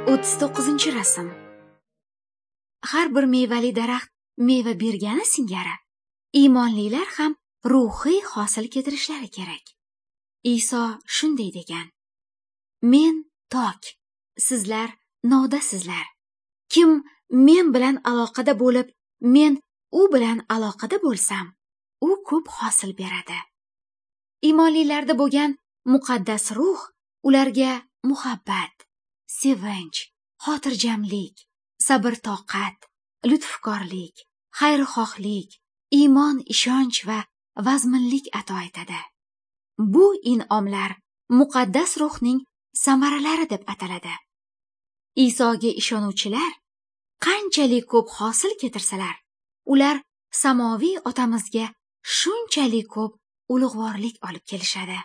39 rasm. Har bir mevali daraxt meva bergani singari, iymonlilar ham ruhiy hosil keltirishlari kerak. Iso shunday degan: Men tok, sizlar nodasizlar. Kim men bilan aloqada bo'lib, men u bilan aloqada bo'lsam, u ko'p hosil beradi. Iymonlilarda bo'lgan muqaddas ruh ularga muhabbat, sevinch, xotirjamlik, sabr-toqat, lutfkorlik, xayrixohlik, iymon, ishonch va vazminlik ato etadi. Bu in'omlar muqaddas ruhning samaralari deb ataladi. Isoga ishonuvchilar qanchalik ko'p hosil keltirsalar, ular samoviy otamizga shunchalik ko'p ulug'vorlik olib kelishadi.